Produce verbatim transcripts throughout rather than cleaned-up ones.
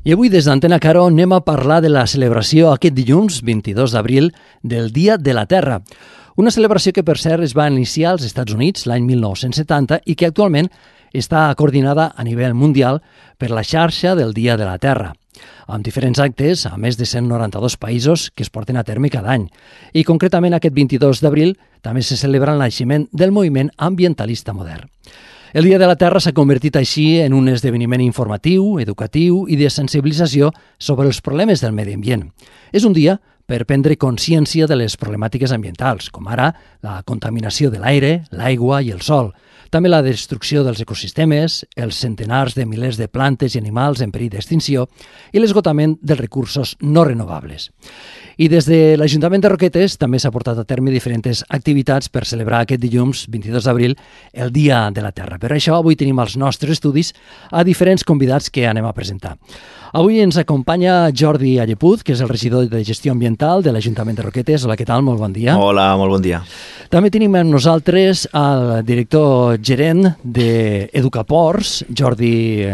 I avui des d'Antena Caro anem a parlar de la celebració aquest dilluns, vint-i-dos d'abril, del Dia de la Terra. Una celebració que, per cert, es va iniciar als Estats Units l'any mil nou-cents setanta i que actualment està coordinada a nivell mundial per la xarxa del Dia de la Terra, amb diferents actes a més de cent noranta-dos països que es porten a terme cada any. I concretament aquest vint-i-dos d'abril també se celebra el naixement del moviment ambientalista modern. El Dia de la Terra s'ha convertit així en un esdeveniment informatiu, educatiu i de sensibilització sobre els problemes del medi ambient. És un dia per prendre consciència de les problemàtiques ambientals, com ara la contaminació de l'aire, l'aigua i el sol, també la destrucció dels ecosistemes, els centenars de milers de plantes i animals en perill d'extinció i l'esgotament dels recursos no renovables. I des de l'Ajuntament de Roquetes també s'ha portat a terme diferents activitats per celebrar aquest dilluns, vint-i-dos d'abril, el Dia de la Terra. Per això avui tenim als nostres estudis a diferents convidats que anem a presentar. Avui ens acompanya Jordi Allepuz, que és el regidor de Gestió Ambiental de l'Ajuntament de Roquetes. Hola, què tal? Molt bon dia. Hola, molt bon dia. També tenim amb nosaltres el director gerent d'Educaports, Jordi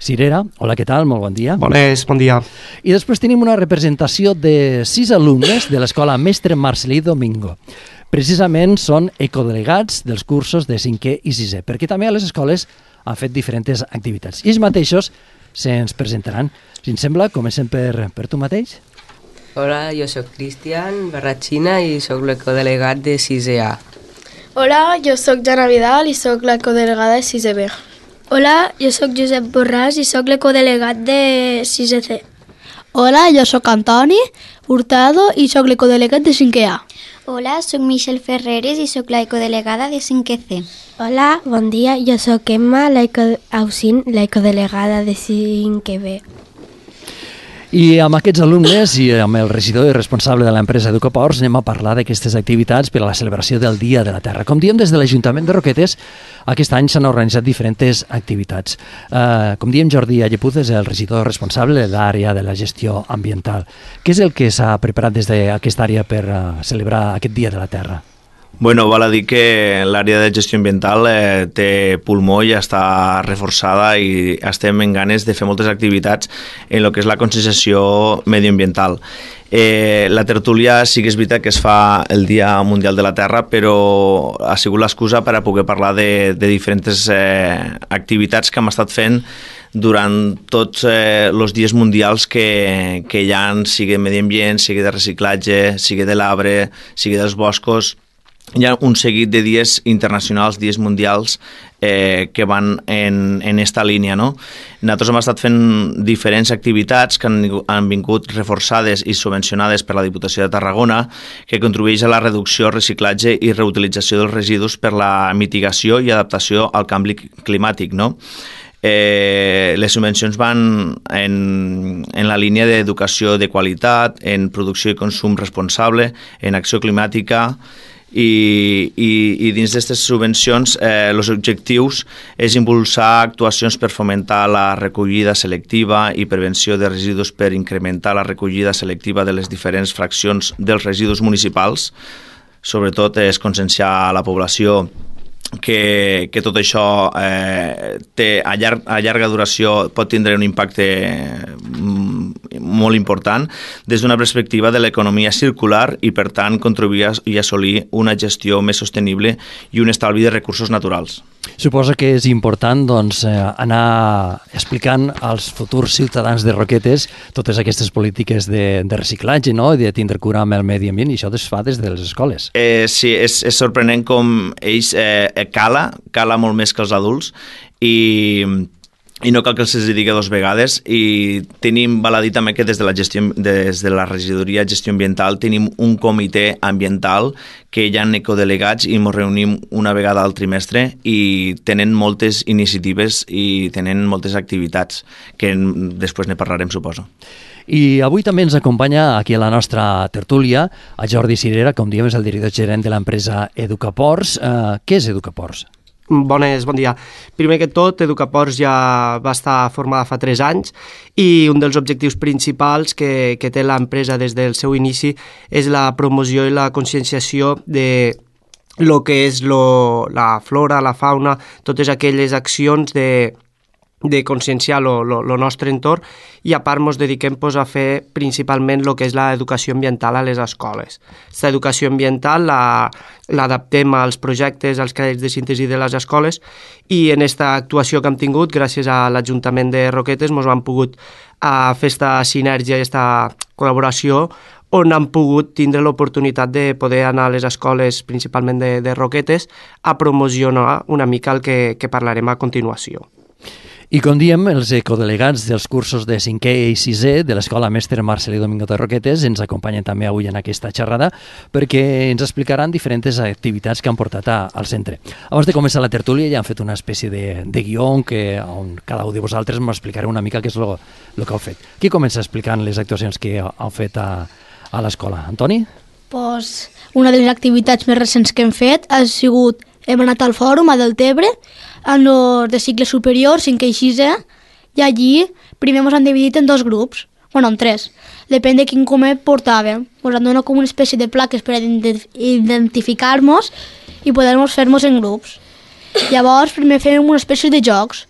Cirera. Hola, què tal? Molt bon dia. Bones, bon dia. I després tenim una representació de sis alumnes de l'Escola Mestre Marcelí Domingo. Precisament són ecodelegats dels cursos de cinquè i sisè, perquè també a les escoles han fet diferents activitats. I ells mateixos se'ns presentaran. Si ens sembla, comencem per, per tu mateix. Hola, jo sóc Cristian Barratxina i sóc l'ecodelegat de sisè A. Hola, jo sóc Jana Vidal i sóc l'ecodelegada de sisè B. Hola, jo sóc Josep Borràs i sóc l'ecodelegat de sisè C. Hola, jo sóc Antoni Hurtado i sóc l'ecodelegat de cinquè A. Hola, sóc Michelle Ferreres i sóc l'ecodelegada de cinquè C. Hola, bon dia, jo sóc Emma Ausin, l'ecodelegada de cinquè B. I amb aquests alumnes i amb el regidor i responsable de l'empresa Educaports anem a parlar d'aquestes activitats per a la celebració del Dia de la Terra. Com diem, des de l'Ajuntament de Roquetes, aquest any s'han organitzat diferents activitats. Uh, com diem, Jordi Allepuz és el regidor responsable de l'àrea de la gestió ambiental. Què és el que s'ha preparat des d'aquesta àrea per uh, celebrar aquest Dia de la Terra? Bueno, val a dir que l'àrea de gestió ambiental eh, té pulmó i està reforçada i estem en ganes de fer moltes activitats en el que és la conscienciació medioambiental. Eh, la tertúlia sí que és veritat que es fa el Dia Mundial de la Terra, però ha sigut l'excusa per a poder parlar de, de diferents eh, activitats que hem estat fent durant tots els eh, dies mundials que, que hi ha, sigui de medi ambient, sigui de reciclatge, sigui de l'arbre, sigui dels boscos. Hi ha un seguit de dies internacionals, dies mundials, eh, que van en, en esta línia, no? Nosaltres hem estat fent diferents activitats que han, han vingut reforçades i subvencionades per la Diputació de Tarragona, que contribueix a la reducció, reciclatge i reutilització dels residus per la mitigació i adaptació al canvi climàtic, no? Eh, les subvencions van en, en la línia d'educació de qualitat, en producció i consum responsable, en acció climàtica. I, i, i dins d'aquestes subvencions eh, els objectius és impulsar actuacions per fomentar la recollida selectiva i prevenció de residus per incrementar la recollida selectiva de les diferents fraccions dels residus municipals. Sobretot és conscienciar a la població que, que tot això eh, té, a, llarg, a llarga duració pot tindre un impacte molt important des d'una perspectiva de l'economia circular i, per tant, contribuir a, i assolir una gestió més sostenible i un estalvi de recursos naturals. Suposo que és important doncs, anar explicant als futurs ciutadans de Roquetes totes aquestes polítiques de, de reciclatge, no? I de tindre cura amb el medi ambient, i això es fa des de les escoles. Eh, sí, és, és sorprenent com ells eh, cala, cala molt més que els adults, i... i no cal que els digui dos vegades, i tenim, val a dir també que des de la gestió, des de la regidoria de gestió ambiental tenim un comitè ambiental que hi ha ecodelegats i ens reunim una vegada al trimestre i tenen moltes iniciatives i tenen moltes activitats que després ne parlarem, suposo. I avui també ens acompanya aquí a la nostra tertúlia a Jordi Cirera, com diem, és el director gerent de l'empresa Educaports. Uh, què és Educaports? Bones, bon dia. Primer que tot, Educaports ja va estar formada fa tres anys i un dels objectius principals que, que té l'empresa des del seu inici és la promoció i la conscienciació de lo que és lo, la flora, la fauna, totes aquelles accions de de conscienciar el nostre entorn, i a part ens dediquem pues, a fer principalment el que és l'educació ambiental a les escoles. Aquesta educació ambiental l'adaptem als projectes, als crèdits de síntesi de les escoles, i en aquesta actuació que hem tingut, gràcies a l'Ajuntament de Roquetes, ens han pogut a fer aquesta sinergia i aquesta col·laboració, on han pogut tindre l'oportunitat de poder anar a les escoles, principalment de, de Roquetes, a promocionar una mica el que, que parlarem a continuació. I com diem, els ecodelegats dels cursos de cinquè i sisè de l'Escola Mestre Marcelí Domingo de Roquetes ens acompanyen també avui en aquesta xerrada perquè ens explicaran diferents activitats que han portat a, al centre. Abans de començar la tertúlia ja han fet una espècie de, de guió que, on cada un de vosaltres m'explicareu una mica què és el que heu fet. Qui comença explicant les actuacions que heu fet a, a l'escola? Antoni? Pues, una de les activitats més recents que hem fet ha sigut, hem anat al fòrum a Deltebre, en els de cicle superior, cinquè i sisè, i allí primer ens han dividit en dos grups, bueno, en tres, depèn de quin comer portàvem. Ens han donat com una espècie de plaques per identificar-nos i poder-nos fer-nos en grups. Llavors, primer fèiem una espècie de jocs,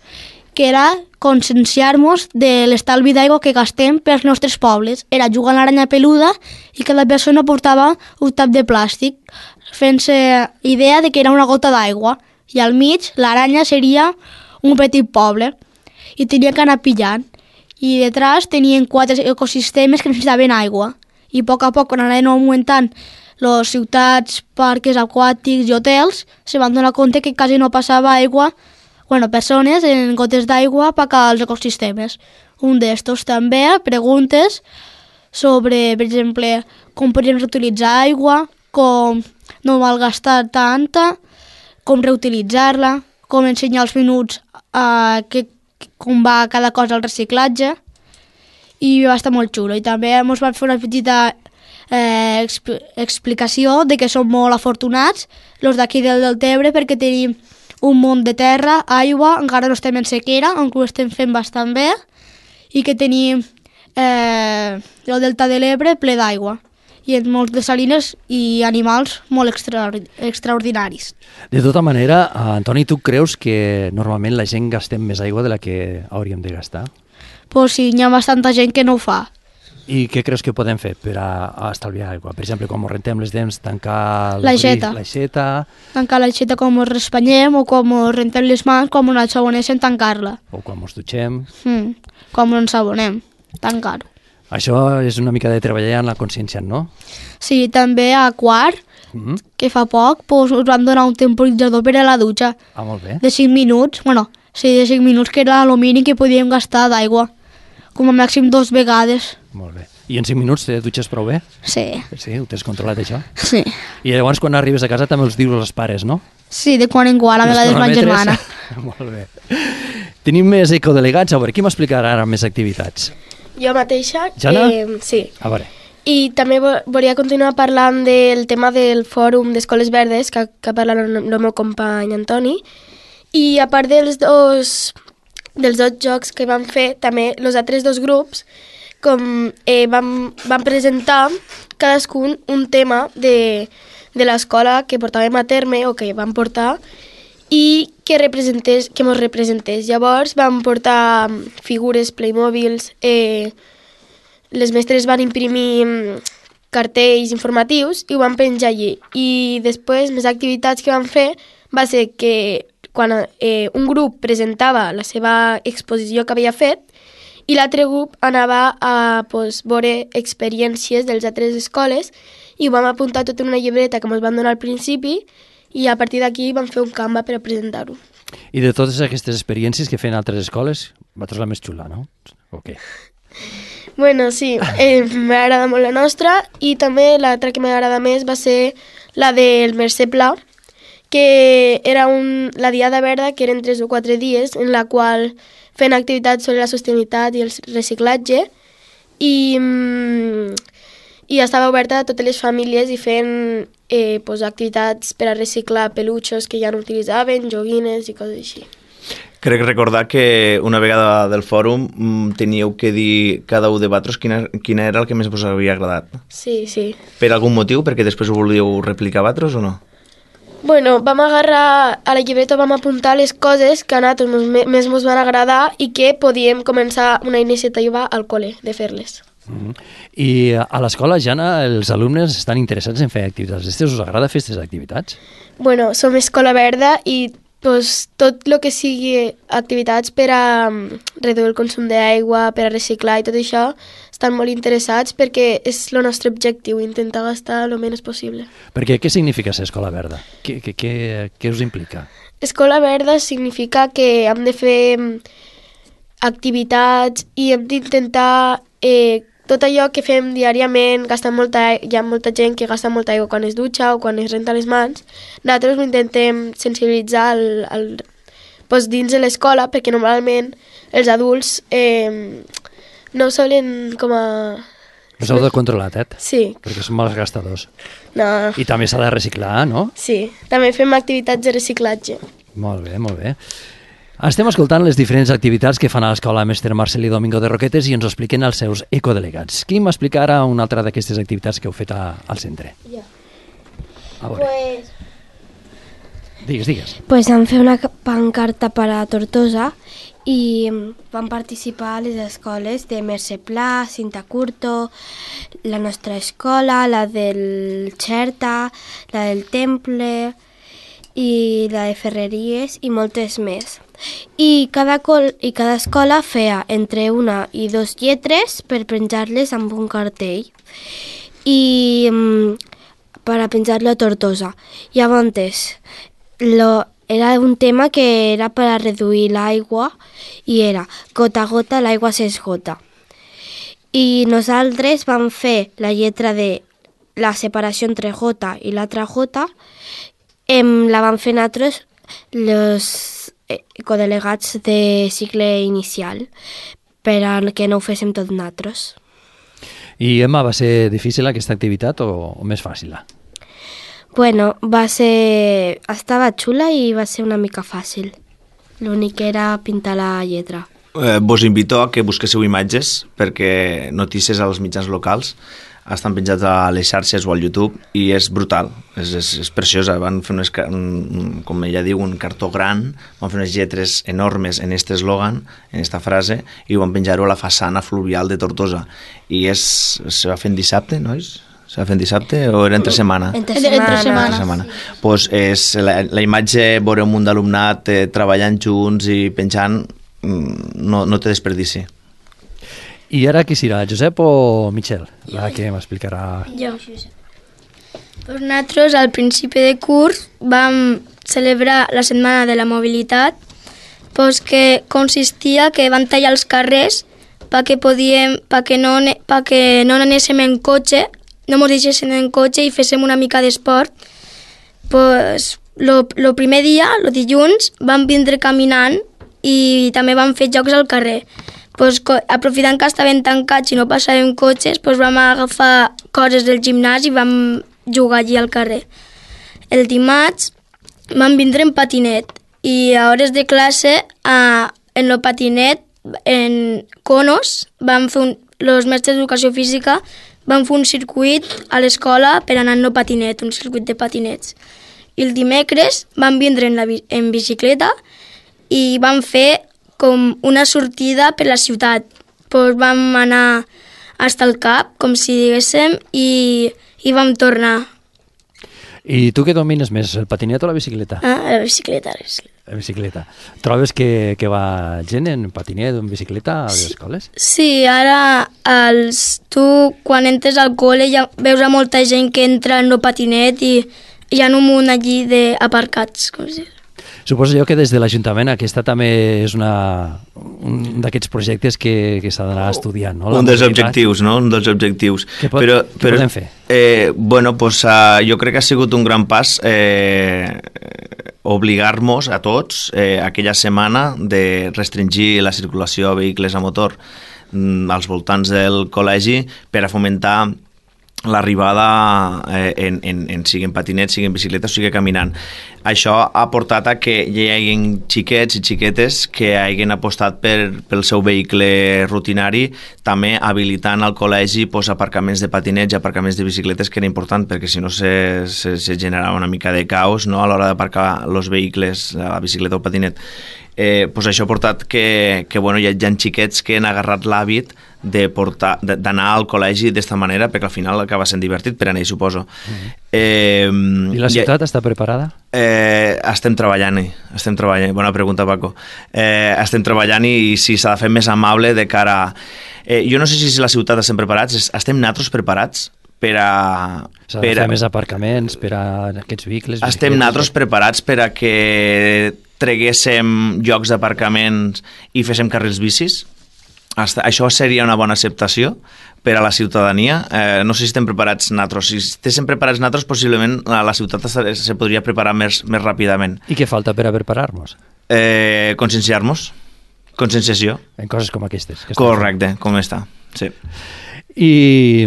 que era conscienciar-nos de l'estalvi d'aigua que gastem pels nostres pobles. Era jugar a l'aranya peluda i cada persona portava un tap de plàstic, fent-se idea de que era una gota d'aigua. I al mig l'aranya seria un petit poble i tenia que anar pillant. I detrás tenien quatre ecosistemes que necessitaven aigua. I a poc a poc, quan anaven augmentant les ciutats, parcs aquàtics i hotels, se van donar compte que quasi no passava aigua, bueno, persones en gotes d'aigua per als ecosistemes. Un d'estos també, preguntes sobre, per exemple, com podríem reutilitzar aigua, com no malgastar tanta, com reutilitzar-la, com ensenyar els minuts a que, com va cada cosa al reciclatge, i va estar molt xulo. I també ens van fer una petita eh, exp explicació de que som molt afortunats, els d'aquí del Deltebre, perquè tenim un munt de terra, aigua, encara no estem en sequera, aunque ho estem fent bastant bé, i que tenim eh, el Delta de l'Ebre ple d'aigua, i en molts de salines i animals molt extra, extraordinaris. De tota manera, Antoni, tu creus que normalment la gent gastem més aigua de la que hauríem de gastar? Pues sí, hi ha bastanta gent que no ho fa. I què creus que podem fer per a, a estalviar aigua? Per exemple, quan rentem les dents, tancar l'aixeta. l'aixeta... Tancar l'aixeta com ens respanyem, o com ens rentem les mans, com ens ensaboneixen, tancar-la. O quan ens dutxem. Mm, com ens ensabonem, tancar-ho. Això és una mica de treballar en la consciència, no? Sí, també a quart, mm-hmm. que fa poc, pues, us van donar un temporitzador per a la dutxa. Ah, molt bé. De cinc minuts, bueno, sí, de cinc minuts, que era el mínim que podíem gastar d'aigua. Com a màxim dos vegades. Molt bé. I en cinc minuts te dutxes prou bé? Sí. Sí, ho tens controlat, això? Sí. I llavors, quan arribes a casa, també els dius als pares, no? Sí, de quan en quan, a vegades ma germana. Molt bé. Tenim més ecodelegats. A veure, qui m'explicarà ara més activitats? Jo mateixa. Jana? Eh, sí. A veure. I també volia continuar parlant del tema del fòrum d'Escoles Verdes, que, que parla el, el meu company Antoni. I a part dels dos, dels dos jocs que vam fer, també els altres dos grups com, eh, vam, vam presentar cadascun un tema de, de l'escola que portàvem a terme o que vam portar i que representés, que mos representés. Llavors vam portar figures, Playmobils, eh, les mestres van imprimir cartells informatius i ho van penjar allí. I després, més activitats que vam fer va ser que quan eh, un grup presentava la seva exposició que havia fet i l'altre grup anava a pues, veure experiències de les altres escoles i ho vam apuntar tot en una llibreta que ens van donar al principi i a partir d'aquí vam fer un Canva per a presentar-ho. I de totes aquestes experiències que feien altres escoles, vosaltres la més xula, no? O què? Bueno, sí, eh, m'agrada molt la nostra i també l'altra que m'agrada més va ser la del Mercè Pla, que era un, la Diada Verda, que eren tres o quatre dies, en la qual feien activitats sobre la sostenibilitat i el reciclatge i, i estava oberta a totes les famílies i feien eh, pues, activitats per a reciclar peluixos que ja no utilitzaven, joguines i coses així. Crec recordar que una vegada del fòrum teníeu que dir cada un de vosaltres quina, quina era el que més us havia agradat. Sí, sí. Per algun motiu? Perquè després ho volíeu replicar vosaltres o no? Bueno, vam agarrar a la llibreta, vam apuntar les coses que a nosaltres més ens van agradar i que podíem començar una iniciativa al col·le de fer-les. Mm-hmm. I a l'escola, Jana, els alumnes estan interessats en fer activitats. Estes us agrada fer aquestes activitats? Bueno, som Escola Verda i pues, tot el que sigui activitats per a um, reduir el consum d'aigua, per a reciclar i tot això, estan molt interessats perquè és el nostre objectiu, intentar gastar el menys possible. Perquè què significa ser Escola Verda? Què, què, què, què us implica? Escola Verda significa que hem de fer activitats i hem d'intentar eh, tot allò que fem diàriament, gastar molta, hi ha molta gent que gasta molta aigua quan es dutxa o quan es renta les mans. Nosaltres ho intentem sensibilitzar al, al, doncs dins de l'escola, perquè normalment els adults eh, no ho solen com a... Us heu de controlat, eh? Sí. Perquè són mals gastadors. No. I també s'ha de reciclar, no? Sí, també fem activitats de reciclatge. Molt bé, molt bé. Estem escoltant les diferents activitats que fan a l'escola Mestre Marcel i Domingo de Roquetes i ens ho expliquen els seus ecodelegats. Qui m'explica ara una altra d'aquestes activitats que heu fet a, al centre? Jo. A veure. Pues... Digues, digues. Pues vam fer una pancarta per a Tortosa i van participar a les escoles de Mercè Pla, Cinta Curto, la nostra escola, la del Xerta, la del Temple i la de Ferreries i moltes més. I cada, col i cada escola feia entre una i dos lletres per penjar-les amb un cartell i um, per a penjar-lo a Tortosa. Llavors, lo, era un tema que era per a reduir l'aigua i era gota a gota l'aigua s'esgota. I nosaltres vam fer la lletra de la separació entre gota i l'altra gota, em, la vam fer nosaltres els codelegats de cicle inicial per a que no ho féssim tot nosaltres. I Emma, va ser difícil aquesta activitat o, o més fàcil? Bueno, va ser... estava xula i va ser una mica fàcil. L'únic era pintar la lletra. Eh, vos invito a que busquéssiu imatges perquè notícies als mitjans locals estan penjats a les xarxes o al YouTube i és brutal, és, és, és preciosa. Van fer unes, un, com ella diu, un cartó gran, van fer unes lletres enormes en aquest eslògan, en aquesta frase, i ho van penjar-ho a la façana fluvial de Tortosa. I és, se va fer en dissabte, nois? Se va fer en dissabte o era entre setmana? Entre setmana. Entre setmana. Entre setmana. Pues és, la, la imatge, veure un munt d'alumnat eh, treballant junts i penjant, no, no té desperdici. I ara qui serà, Josep o Michel? La que m'explicarà... Jo. Pues nosaltres al principi de curs vam celebrar la Setmana de la Mobilitat, pues que consistia que van tallar els carrers perquè podíem, perquè no, perquè no anéssim en cotxe, no ens deixéssim en cotxe i féssim una mica d'esport. Pues lo, lo primer dia, el dilluns, vam vindre caminant i també vam fer jocs al carrer. Pues, aprofitant que estaven tancats i no passàvem cotxes, pues, vam agafar coses del gimnàs i vam jugar allí al carrer. El dimarts vam vindre en patinet i a hores de classe a, en el patinet, en conos, vam fer un, els mestres d'educació física van fer un circuit a l'escola per anar en el patinet, un circuit de patinets. I el dimecres vam vindre en, la, en bicicleta i vam fer com una sortida per la ciutat. Pues vam anar fins al cap, com si diguéssim, i, i vam tornar. I tu què domines més, el patinet o la bicicleta? Ah, la bicicleta. La bicicleta. La bicicleta. Trobes que, que va gent en patinet o en bicicleta a les escoles? Sí, ara els, tu quan entres al col·le ja veus a molta gent que entra en el patinet i hi ha un munt allí d'aparcats, com si... Suposo jo que des de l'Ajuntament aquesta també és una, un d'aquests projectes que, que s'ha d'anar estudiant, no? La un dels objectius, no? Un dels objectius. Què, pot, però, què però, podem fer? Eh, bueno, pues, uh, jo crec que ha sigut un gran pas eh, obligar-nos a tots eh, aquella setmana de restringir la circulació a vehicles a motor mm, als voltants del col·legi per a fomentar l'arribada eh, en, en, en sigui en patinet, sigui en bicicleta o sigui caminant. Això ha portat a que hi hagi xiquets i xiquetes que hagin apostat per, pel seu vehicle rutinari, també habilitant al col·legi pues, aparcaments de patinets i aparcaments de bicicletes, que era important perquè si no se, se, se generava una mica de caos, no?, a l'hora d'aparcar els vehicles, la bicicleta o el patinet. Eh, pues això ha portat que, que bueno, hi ha, hi ha xiquets que han agarrat l'hàbit de portar, d'anar al col·legi d'esta manera, perquè al final acaba sent divertit per a ells, suposo. Mm-hmm. eh, I la ciutat ja, està preparada? Eh, estem treballant-hi, estem treballant. Bona pregunta, Paco. Eh, estem treballant i si s'ha de fer més amable de cara a... Eh, jo no sé si la ciutat estem preparats, estem nosaltres preparats per a... S'ha de fer més aparcaments per a aquests vehicles? Estem nosaltres preparats per a que treguéssim llocs d'aparcaments i féssim carrils bicis. Això seria una bona acceptació per a la ciutadania. Eh, no sé si estem preparats nosaltres. Si estéssim preparats nosaltres, possiblement la ciutat se podria preparar més, més ràpidament. I què falta per a preparar-nos? Eh, conscienciar-nos. Conscienciació. En coses com aquestes. Que Correcte, com està. Sí. I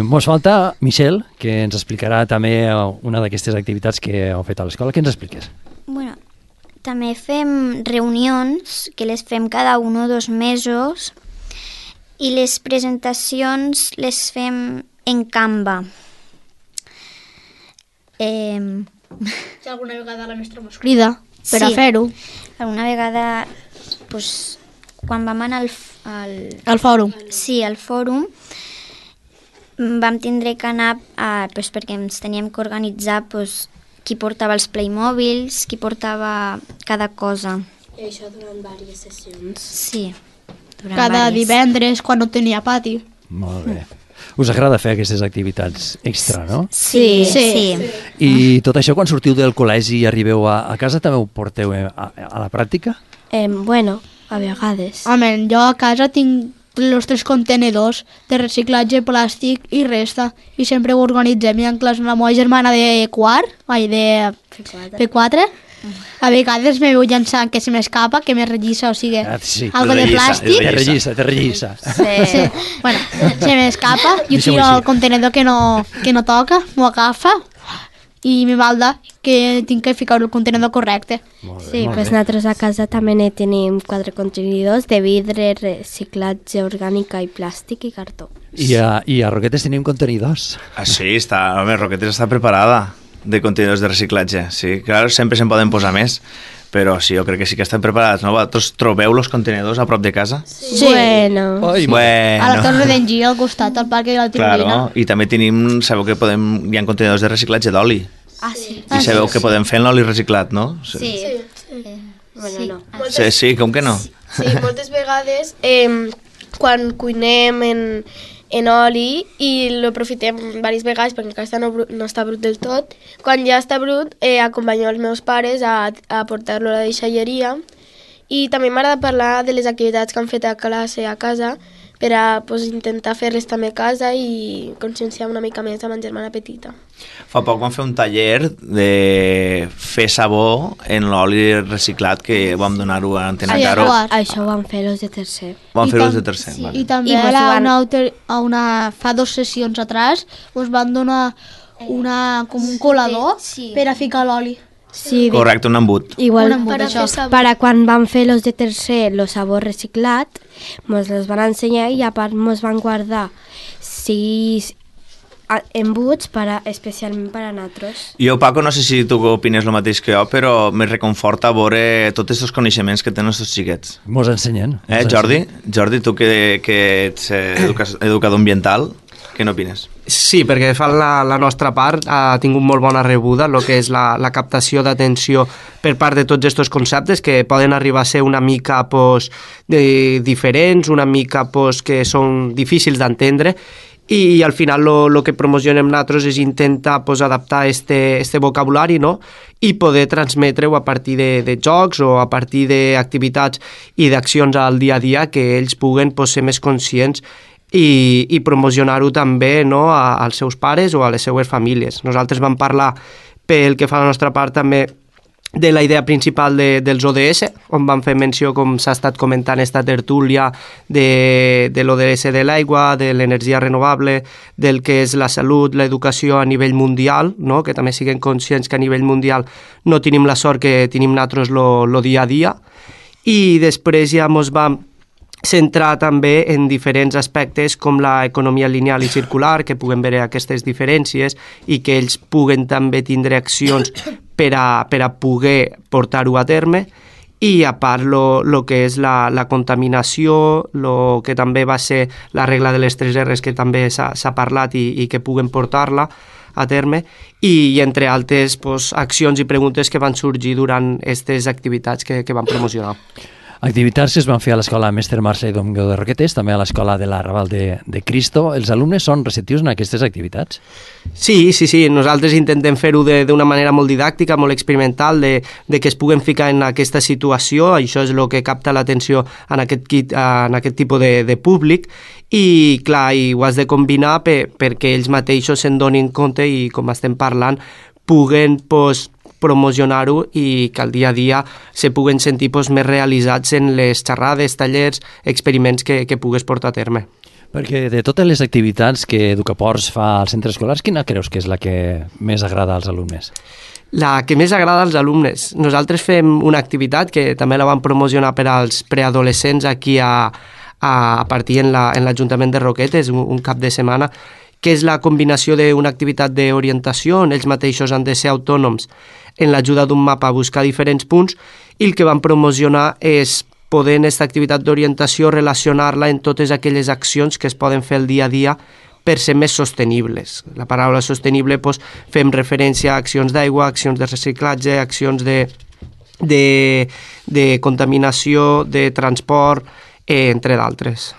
ens falta Michelle, que ens explicarà també una d'aquestes activitats que heu fet a l'escola. Què ens expliques? Bueno, també fem reunions, que les fem cada un o dos mesos, i les presentacions les fem en Canva. Eh... Si alguna vegada la mestra mos crida per sí, a fer-ho. Alguna vegada, pues, quan vam anar al, al... al fòrum. Sí, al fòrum, vam tindre que anar a, pues, perquè ens teníem que organitzar pues, qui portava els Playmobils, qui portava cada cosa. I això durant diverses sessions. Sí. Cada diverses. divendres, quan no tenia pati. Molt bé. Us agrada fer aquestes activitats extra, no? Sí, sí. sí. I tot això, quan sortiu del col·legi i arribeu a, a casa, també ho porteu a, a la pràctica? Eh, bueno, a vegades. Home, jo a casa tinc els tres contenedors de reciclatge plàstic i resta, i sempre ho organitzem. I en classe amb la meva germana de quart, ai, de P quatre, a vegades me veu llançant que se m'escapa, que me rellissa, o sigui, ah, sí. algo de plàstic. Te rellissa, te rellissa. Sí. sí. Bueno, se m'escapa, jo tiro al contenedor que no, que no toca, m'ho agafa, i me balda que tinc que ficar el contenidor correcte. Bé, sí, doncs nosaltres a casa també ne tenim quatre contenidors de vidre, reciclatge orgànica i plàstic i cartó. I a, i a Roquetes tenim contenidors. Ah, sí, està, home, Roquetes està preparada de contenidors de reciclatge. Sí, clar, sempre se'n poden posar més, però sí, jo crec que sí que estan preparats, no? Vosaltres trobeu els contenidors a prop de casa? Sí. Bueno. Ai, bueno. A la Torre d'Engí, al costat, al parc de la Tribuna. Claro, i també tenim, sabeu que podem, hi ha contenidors de reciclatge d'oli. Ah, sí. I sabeu que podem fer l'oli reciclat, no? Sí. Sí, sí. sí. Eh, bueno, sí. no. sí, sí, com que no? Sí, moltes vegades eh, quan cuinem en, en oli i l'aprofitem diverses vegades perquè encara no, no està brut del tot, quan ja està brut eh, acompanyo els meus pares a, a portar-lo a la deixalleria, i també m'agrada parlar de les activitats que han fet a classe a casa per a pues, intentar fer-les també a casa i conscienciar una mica més a ma germana petita. Fa poc vam fer un taller de fer sabó en l'oli reciclat que vam donar-ho a Antena Caro. Això ho van fer els de tercer. Vam fer els de tercer, sí. vale. I també I ara, van... una, autor, a una, fa dos sessions atrás us van donar una, com un colador sí. per a ficar l'oli. Sí, correcte, un embut. Igual, un embut, això. per a quan van fer los de tercer el sabó reciclat, ens els van ensenyar i a part ens van guardar sis embuts per a, especialment per a nosaltres. Jo, Paco, no sé si tu opines el mateix que jo, però me reconforta veure tots aquests coneixements que tenen els teus xiquets. Mos ensenyen. Eh, Jordi? Jordi, tu que, que ets educa educador ambiental, què n'opines? Sí, perquè fa la, la nostra part ha tingut molt bona rebuda, el que és la, la captació d'atenció per part de tots aquests conceptes que poden arribar a ser una mica pues, de, diferents, una mica pues, que són difícils d'entendre, i al final el que promocionem nosaltres és intentar pues, adaptar este, este vocabulari, no? I poder transmetre-ho a partir de, de jocs o a partir d'activitats i d'accions al dia a dia que ells puguen pues, ser més conscients i, i promocionar-ho també, no, a, als seus pares o a les seues famílies. Nosaltres vam parlar, pel que fa a la nostra part, també de la idea principal de, dels O D S, on van fer menció, com s'ha estat comentant esta tertúlia, de, de l'O D S de l'aigua, de l'energia renovable, del que és la salut, l'educació a nivell mundial, no? Que també siguem conscients que a nivell mundial no tenim la sort que tenim nosaltres lo, lo dia a dia, i després ja ens vam centrar també en diferents aspectes com l'economia lineal i circular, que puguem veure aquestes diferències i que ells puguen també tindre accions per a, per a poder portar-ho a terme, i a part lo, lo que és la, la contaminació, lo que també va ser la regla de les tres R's, que també s'ha parlat i, i que puguen portar-la a terme, i, i entre altres pues, accions i preguntes que van sorgir durant aquestes activitats que, que van promocionar. Activitats que es van fer a l'escola Mestre Marcel Domingo de Roquetes, també a l'escola de la Raval de, de Cristo. Els alumnes són receptius en aquestes activitats? Sí, sí, sí. Nosaltres intentem fer-ho d'una manera molt didàctica, molt experimental, de, de que es puguen ficar en aquesta situació. Això és el que capta l'atenció en aquest, en aquest tipus de, de públic. I, clar, i ho has de combinar per, perquè ells mateixos se'n donin compte i, com estem parlant, puguen, pues, promocionar-ho i que al dia a dia se puguen sentir pues, més realitzats en les xerrades, tallers, experiments que, que pugues portar a terme. Perquè de totes les activitats que Educaports fa als centres escolars, quina creus que és la que més agrada als alumnes? La que més agrada als alumnes. Nosaltres fem una activitat que també la vam promocionar per als preadolescents aquí a, a, a partir en l'Ajuntament la, de Roquetes, un, un cap de setmana, que és la combinació d'una activitat d'orientació on ells mateixos han de ser autònoms en l'ajuda d'un mapa a buscar diferents punts, i el que van promocionar és poder en aquesta activitat d'orientació relacionar-la en totes aquelles accions que es poden fer el dia a dia per ser més sostenibles. La paraula sostenible, doncs, fem referència a accions d'aigua, accions de reciclatge, accions de, de, de contaminació, de transport, eh, entre d'altres.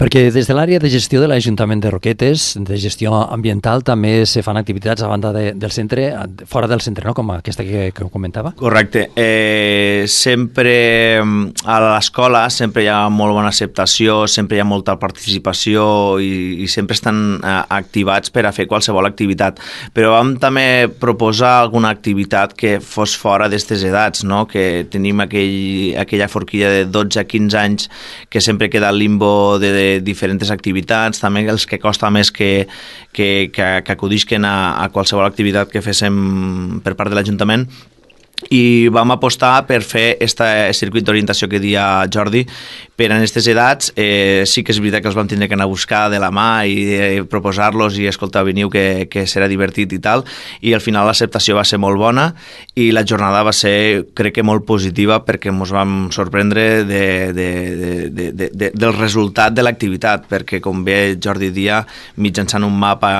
Perquè des de l'àrea de gestió de l'Ajuntament de Roquetes, de gestió ambiental, també se fan activitats a banda de, del centre, fora del centre, no? Com aquesta que, que comentava? Correcte. Eh, sempre a l'escola sempre hi ha molt bona acceptació, sempre hi ha molta participació i, i sempre estan eh, activats per a fer qualsevol activitat. Però vam també proposar alguna activitat que fos fora d'aquestes edats, no? Que tenim aquell, aquella forquilla de dotze a quinze anys que sempre queda al limbo de, de diferents activitats, també els que costa més que, que, que, que acudisquen a, a qualsevol activitat que féssim per part de l'Ajuntament, i vam apostar per fer aquest circuit d'orientació que dia Jordi per a aquestes edats. Eh, sí que és veritat que els vam tindre que anar a buscar de la mà i eh, proposar-los i escoltar, veniu que, que serà divertit i tal, i al final l'acceptació va ser molt bona i la jornada va ser, crec que molt positiva, perquè ens vam sorprendre de, de, de, de, de, de, del resultat de l'activitat, perquè com bé Jordi dia, mitjançant un mapa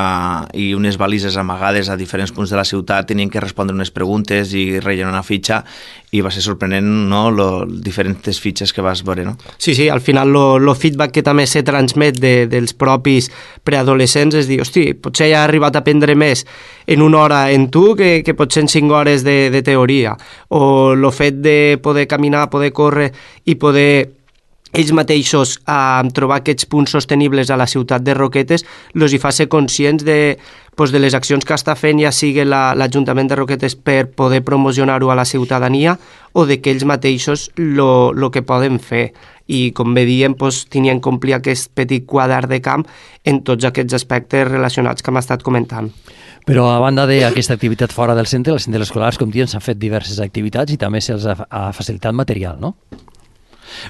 i unes balises amagades a diferents punts de la ciutat tenien que respondre unes preguntes i rellenar una fitxa, i va ser sorprenent, no?, lo, diferents fitxes que vas veure, no? Sí, sí, al final el feedback que també se transmet de, dels propis preadolescents és dir, hosti, potser ja ha arribat a aprendre més en una hora en tu que, que potser en cinc hores de, de teoria, o el fet de poder caminar, poder córrer i poder ells mateixos a trobar aquests punts sostenibles a la ciutat de Roquetes, els hi fa ser conscients de, pues, de les accions que està fent, ja sigui l'Ajuntament de Roquetes per poder promocionar-ho a la ciutadania, o de que ells mateixos el que poden fer. I, com bé diem, pues, tenien que complir aquest petit quadre de camp en tots aquests aspectes relacionats que hem estat comentant. Però a banda d'aquesta activitat fora del centre, als centres escolars, com diuen, s'han fet diverses activitats i també se'ls ha, ha facilitat material, no?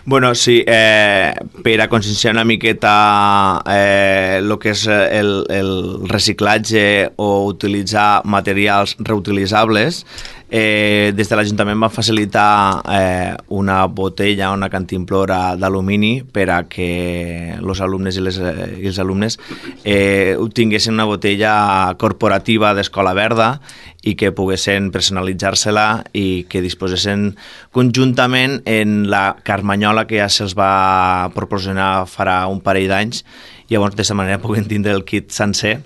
Bueno, sí, eh, per a conscienciar una miqueta eh, el que és el, el reciclatge o utilitzar materials reutilitzables, eh, des de l'Ajuntament va facilitar eh, una botella, una cantimplora d'alumini per a que els alumnes i les, i els alumnes eh, tinguessin una botella corporativa d'Escola Verda i que poguessin personalitzar-se-la i que disposessin conjuntament en la carmanyola que ja se'ls va proporcionar farà un parell d'anys, i llavors d'aquesta manera puguen tindre el kit sencer.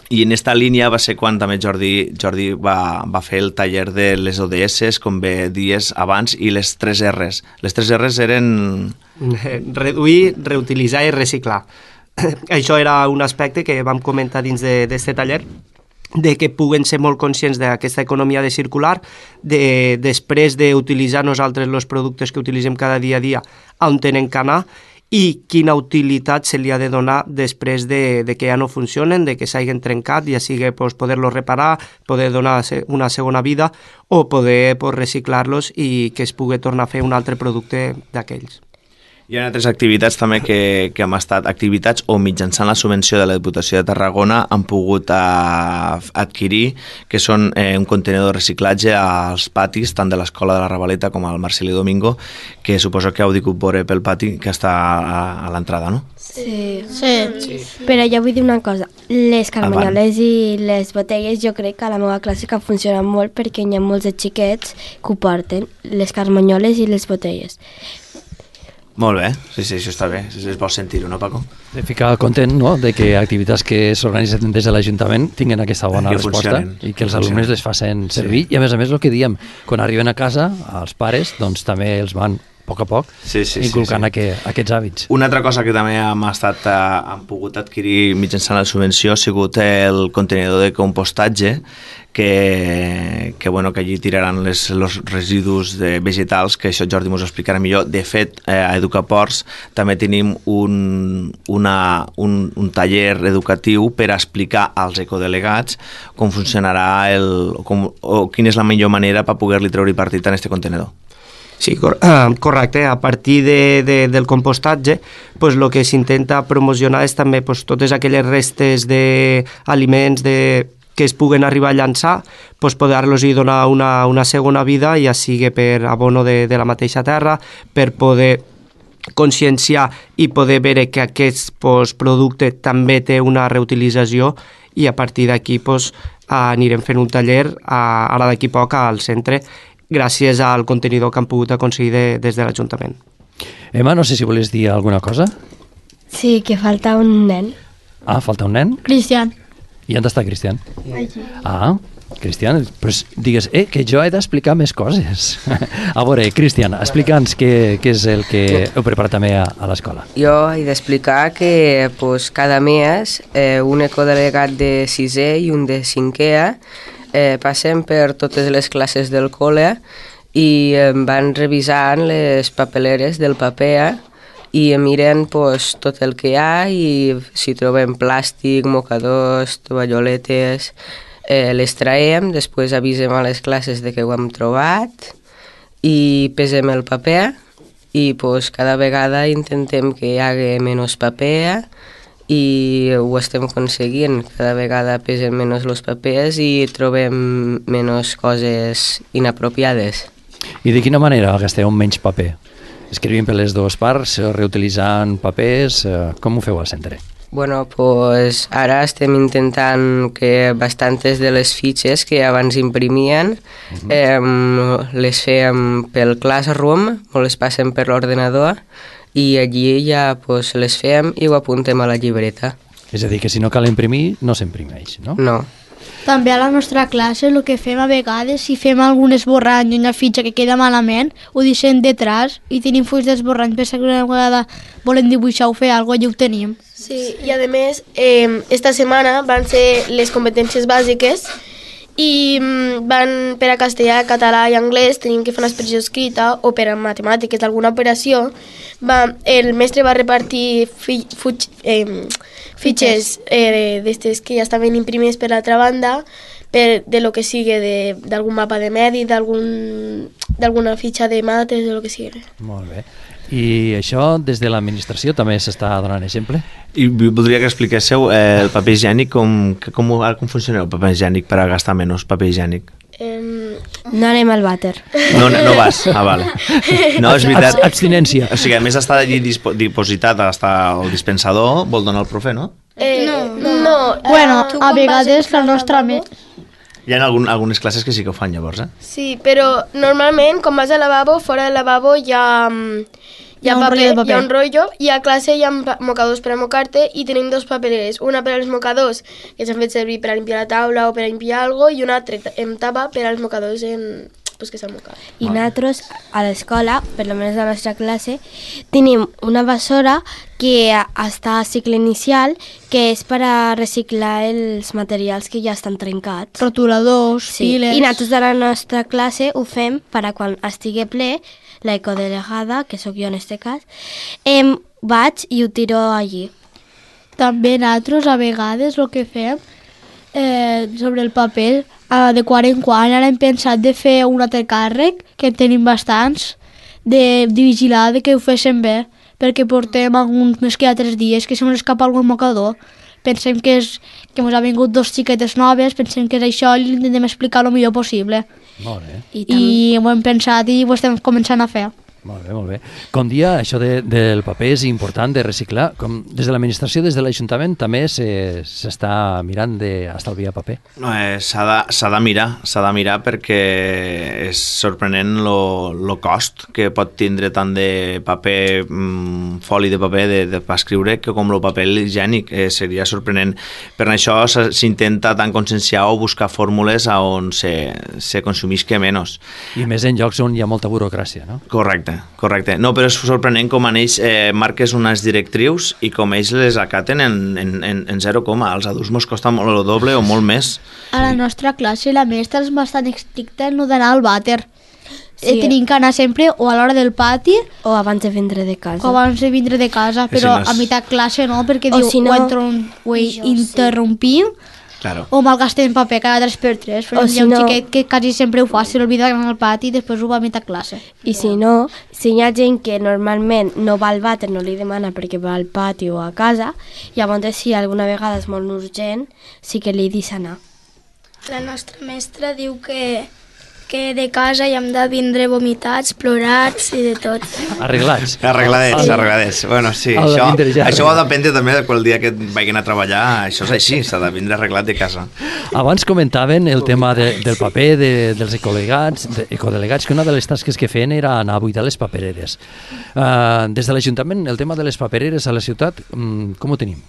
I en aquesta línia va ser quan també Jordi, Jordi va, va fer el taller de les O D S, com bé dies abans, i les tres R's. Les tres R's eren... Reduir, reutilitzar i reciclar. Això era un aspecte que vam comentar dins d'aquest taller, de que puguen ser molt conscients d'aquesta economia de circular, de, després d'utilitzar nosaltres els productes que utilitzem cada dia a dia on tenen que anar i quina utilitat se li ha de donar després de, de que ja no funcionen, de que s'hagin trencat, ja sigui pues, poder-los reparar, poder donar una segona vida o poder pues, reciclar-los i que es pugui tornar a fer un altre producte d'aquells. Hi ha altres activitats també que, que hem estat activitats o mitjançant la subvenció de la Diputació de Tarragona han pogut a, adquirir, que són eh, un contenidor de reciclatge als patis, tant de l'Escola de la Ravaleta com al Marcelí Domingo, que suposo que heu digut veure pel pati que està a, a l'entrada, no? Sí. Sí. sí. Però jo vull dir una cosa, les carmanyoles i les botelles jo crec que a la meva classe que funcionen molt perquè hi ha molts de xiquets que ho porten, les carmanyoles i les botelles. Molt bé, sí, sí, això està bé, es vol sentir-ho, no, Paco? De ficar content, no?, de que activitats que s'organitzen des de l'Ajuntament tinguin aquesta bona que resposta i que els alumnes les facin servir. Sí. I a més a més el que diem, quan arriben a casa, els pares, doncs també els van a poc a poc sí, sí, inculcant sí, sí. Aqu aquests hàbits. Una altra cosa que també hem, estat, hem pogut adquirir mitjançant la subvenció ha sigut el contenidor de compostatge que, que, bueno, que allí tiraran les, els residus de vegetals, que això Jordi ens ho explicarà millor. De fet, eh, a Educaports també tenim un, una, un, un taller educatiu per explicar als ecodelegats com funcionarà el, com, o quina és la millor manera per poder-li treure partit en aquest contenidor. Sí, cor uh, correcte. A partir de, de, del compostatge, pues, el que s'intenta promocionar és també pues, totes aquelles restes d'aliments de, que es puguen arribar a llançar, pues, poder-los donar una, una segona vida, ja sigui per abono de, de la mateixa terra, per poder conscienciar i poder veure que aquest pues, producte també té una reutilització i a partir d'aquí pues, anirem fent un taller a, ara d'aquí poc al centre gràcies al contenidor que han pogut aconseguir de, des de l'Ajuntament. Emma, no sé si volies dir alguna cosa. Sí, que falta un nen. Ah, falta un nen? Cristian. I on està Cristian? Allí. Ah, Cristian, pues digues, eh, que jo he d'explicar més coses. A veure, Cristian, explica'ns què, què és el que heu preparat també a, a l'escola. Jo he d'explicar que pues, cada mes eh, un ecodelegat de sisè i un de cinquè eh, passem per totes les classes del col·le i eh, van revisant les papeleres del paper i miren pues, tot el que hi ha i si trobem plàstic, mocadors, tovalloletes, eh, les traiem, després avisem a les classes de que ho hem trobat i pesem el paper i pues, cada vegada intentem que hi hagi menys paper i ho estem aconseguint. Cada vegada pesen menys els papers i trobem menys coses inapropiades. I de quina manera gasteu menys paper? Escrivint per les dues parts, reutilitzant papers, com ho feu al centre? Bueno, pues ara estem intentant que bastantes de les fitxes que abans imprimien uh-huh. eh, les fem pel Classroom o les passem per l'ordenador i allí ja pues, les fem i ho apuntem a la llibreta. És a dir, que si no cal imprimir, no s'imprimeix, no? No. També a la nostra classe el que fem a vegades, si fem algun esborrany i una fitxa que queda malament, ho deixem detrás i tenim fulls d'esborrany per si una vegada volem dibuixar o fer alguna cosa i ho tenim. Sí, i a més, eh, esta setmana van ser les competències bàsiques i van per a castellà, català i anglès, tenim que fer una expressió escrita o per a matemàtiques d'alguna operació. Va, el mestre va repartir fi, fuig, eh, fitxes eh, d'estes que ja estaven imprimides per l'altra banda per, de lo que sigui, d'algun mapa de medi, d'alguna fitxa de mates, de lo que sigui. Molt bé. I això des de l'administració també s'està donant exemple? I voldria que expliquéssiu eh, el paper higiènic, com, com, com funciona el paper higiènic per a gastar menys paper higiènic? Um, no anem al vàter. No, no vas? Ah, vale. No, és veritat. Abstinència. O sigui, a més està allí dispo, dipositat, està el dispensador, vol donar el profe, no? Eh, no, no. no. Bueno, uh, a vegades la nostra... Hi ha algun, algunes classes que sí que ho fan llavors, eh? Sí, però normalment, quan vas al lavabo, fora del lavabo hi ha... Hi ha, hi ha, paper, un paper. hi ha un rotllo i a classe hi ha mocadors per a mocar-te i tenim dos papereres, una per als mocadors que s'han fet servir per a limpiar la taula o per a limpiar alguna cosa i una altra en tapa per als mocadors en, pues, que se'l moca. I nosaltres, a l'escola, per almenys a la nostra classe, tenim una bessora que està a cicle inicial, que és per a reciclar els materials que ja estan trencats. Rotuladors, Sí, piles... i nosaltres a la nostra classe ho fem per a quan estigui ple, la ecodelegada, que sóc jo en este cas, em vaig i ho tiro allí. També nosaltres, a vegades, el que fem eh, sobre el paper, eh, de quan en quan, ara hem pensat de fer un altre càrrec, que en tenim bastants, de, de vigilar de que ho féssim bé, perquè portem alguns més que altres dies que se ens escapa algun mocador. Pensem que, és, que ens ha vingut dos xiquetes noves, pensem que és això i intentem explicar el millor possible. Molt bé. I, I ho hem pensat i ho estem començant a fer. Molt bé, molt bé. Com dia, això de, del paper és important de reciclar. Com des de l'administració, des de l'Ajuntament, també s'està mirant d'estalviar paper. No, eh, s'ha de, s'ha de mirar, s'ha de mirar perquè és sorprenent el cost que pot tindre tant de paper, mm, foli de paper de, de, per escriure, que com el paper higiènic. Eh, seria sorprenent. Per això s'intenta tant conscienciar o buscar fórmules on se, se consumisca menys. I més en llocs on hi ha molta burocràcia, no? Correcte, correcte. No, però és sorprenent com en ells eh, marques unes directrius i com ells les acaten en, en, en, en zero coma. Als adults mos costa molt el doble o molt més. A la nostra classe la mestra és bastant estricta en no d'anar al vàter. Sí. Eh, tenim que anar sempre o a l'hora del pati O abans de vindre de casa. o abans de vindre de casa, Que si però no és- a meitat classe no, perquè O diu si no- ho, entron, ho interrompim Claro. o malgastem paper cada tres per tres. Però O hi si ha un no- xiquet que quasi sempre ho fa, se l'olvida d'anar al pati i després ho va a meitat classe. I si no, si hi ha gent que normalment no va al vàter, no li demana perquè va al pati o a casa, llavors si alguna vegada és molt urgent, sí que li dis anar. La nostra mestra diu que, que de casa hi hem de vindre vomitats, plorats i de tot. Arreglats. Arregladets, El- arregladets. Bueno, sí, el de això, vindre ja això va arreglat. dependre també de qual dia que vagin a treballar. Això és així, s'ha de vindre arreglat de casa. Abans comentaven el tema de, del paper, de, dels ecodelegats, de, ecodelegats, que una de les tasques que feien era anar a buidar les papereres. Uh, des de l'Ajuntament, el tema de les papereres a la ciutat, um, com ho tenim?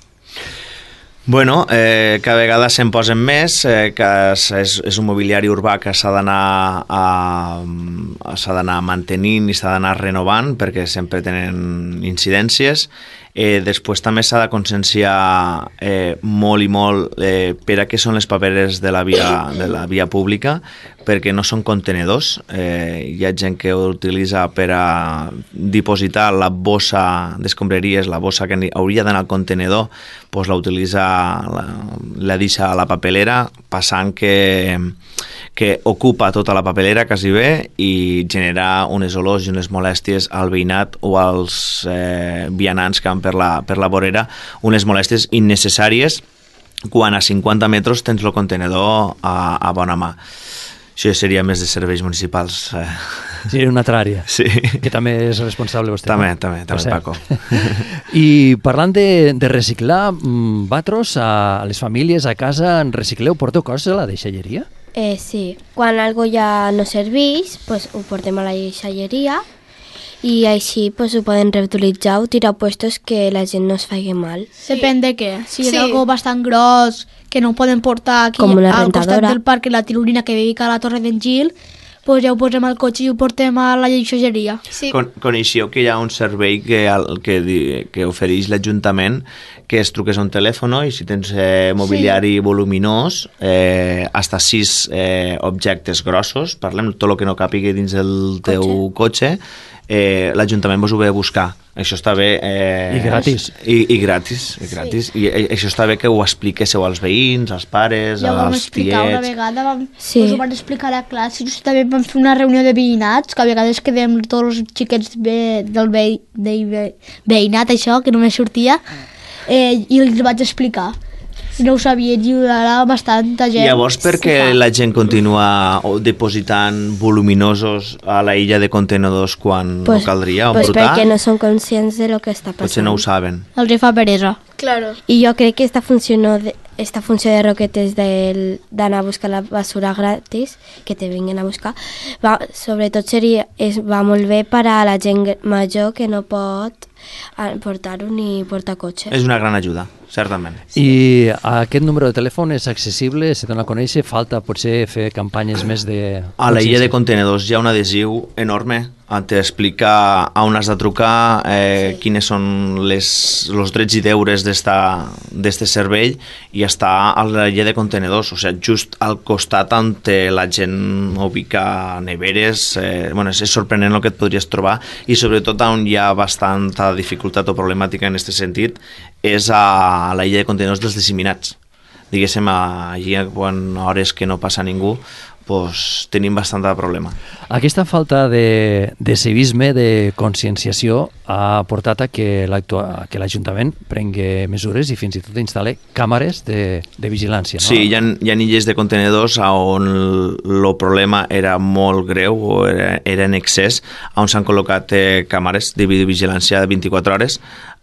Bueno, eh, cada vegada se'n posen més, eh, que és, és, és un mobiliari urbà que s'ha d'anar a, s'ha d'anar mantenint i s'ha d'anar renovant perquè sempre tenen incidències. Eh, després també s'ha de conscienciar eh, molt i molt eh, per a què són les papereres de la via, de la via pública, perquè no són contenedors. Eh, hi ha gent que ho utilitza per a dipositar la bossa d'escombraries, la bossa que hauria d'anar al contenedor, doncs la utilitza, la, la deixa a la papelera, passant que, que ocupa tota la papelera quasi bé i genera unes olors i unes molèsties al veïnat o als eh, vianants que van per la, per la vorera, unes molèsties innecessàries quan a cinquanta metres tens el contenedor a, a bona mà. Això seria més de serveis municipals. Eh. Sí, una altra àrea. Sí. Que també és responsable vostè. També, no? també, Per també, cert. Paco. I parlant de, de reciclar, mm, vosaltres a les famílies a casa en recicleu, porteu coses a la deixalleria? Eh, sí, quan algo ja no serveix, pues, ho portem a la deixalleria i així pues, ho poden reutilitzar o tirar puestos que la gent no es faci mal. Sí. Depèn de què. Si és Sí. algo bastant gros que no ho poden portar aquí Com una al costat rentadora. del parc, la tirolina que viu a la Torre d'en Gil, pues ja ho posem al cotxe i ho portem a la deixalleria. Sí. Con, coneixeu que hi ha un servei que, al- que, di- que ofereix l'Ajuntament, que es truques a un telèfon i si tens eh, mobiliari sí. voluminós, eh, hasta sis eh, objectes grossos, parlem tot el que no capigui dins del teu cotxe, eh, l'Ajuntament vos ho ve a buscar. Això està bé. Eh, I gratis. I, i gratis. I, gratis. I, I això està bé que ho expliquéssiu als veïns, als pares, Ja ho vam als explicar una tiets. vegada, vam, Sí. us ho van explicar a la classe, just també vam fer una reunió de veïnats, que a vegades quedem tots els xiquets ve, del ve, de, ve, veïnat, això, que només sortia, eh, i els vaig explicar. I no ho sabien, i ara bastanta gent. Llavors, per què ho fa. la gent continua depositant voluminosos a la illa de contenedors quan Pues, no caldria? O pues portar? perquè no són conscients de lo que està passant. Potser no ho saben. Els hi fa peresa. Claro. I jo crec que esta funció, no de, esta funció de Roquetes del- d'anar a buscar la basura gratis, que te vinguen a buscar, va, sobretot seria, és, va molt bé per a la gent gr- major que no pot portar-ho ni portar cotxe. És una gran ajuda, certament. I aquest número de telèfon és accessible, se dona a conèixer, falta potser fer campanyes més de... A la illa de contenedors hi ha un adhesiu enorme on t'explica a on has de trucar, eh, sí. quines són les, els drets i deures d'este servei, i està a la illa de contenedors, o sigui, just al costat on la gent ubica neveres. Eh, bueno, és sorprenent el que et podries trobar, i sobretot on hi ha bastanta dificultat o problemàtica en aquest sentit és a la illa de contenidors dels disseminats. Diguéssim, allí quan hores que no passa ningú, pues, tenim bastant de problema. Aquesta falta de, de civisme, de conscienciació, ha portat a que l'Ajuntament prengui mesures i fins i tot instal·li càmeres de, de vigilància. No? Sí, hi ha, hi ha illes de contenedors on el problema era molt greu o era, era en excés, on s'han col·locat eh, càmeres de videovigilància de vint-i-quatre hores,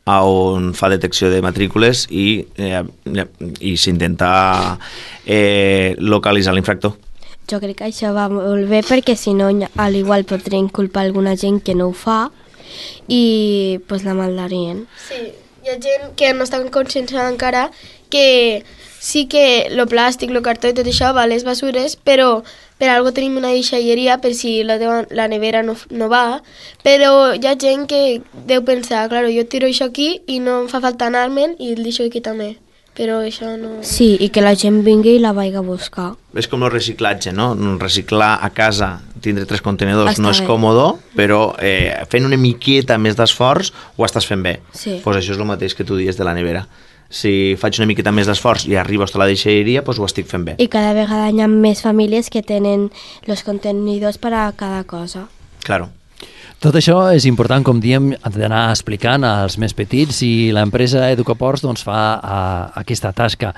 on fa detecció de matrícules i, eh, i s'intenta eh, localitzar l'infractor. Jo crec que això va molt bé, perquè si no, al igual podrien culpar alguna gent que no ho fa i pues, la maldarien. Sí, hi ha gent que no està conscienciada encara que sí que el plàstic, el cartó i tot això va a les basures, però per algo tenim una deixalleria per si la, teva, la nevera no, no va, però hi ha gent que deu pensar, claro, jo tiro això aquí i no em fa falta anar-me'n i el deixo aquí també. Però això no... Sí, i que la gent vingui i la vagi a buscar. És com el reciclatge, no? Reciclar a casa, tindre tres contenidors, Està no és bé. còmode, però eh, fent una miqueta més d'esforç ho estàs fent bé. Sí. Pues això és el mateix que tu dies de la nevera. Si faig una miqueta més d'esforç i arribo a la deixalleria, pues ho estic fent bé. I cada vegada hi ha més famílies que tenen els contenidors per a cada cosa. Claro. Tot això és important, com diem, d'anar explicant als més petits, i l'empresa Educaports doncs, fa a, aquesta tasca.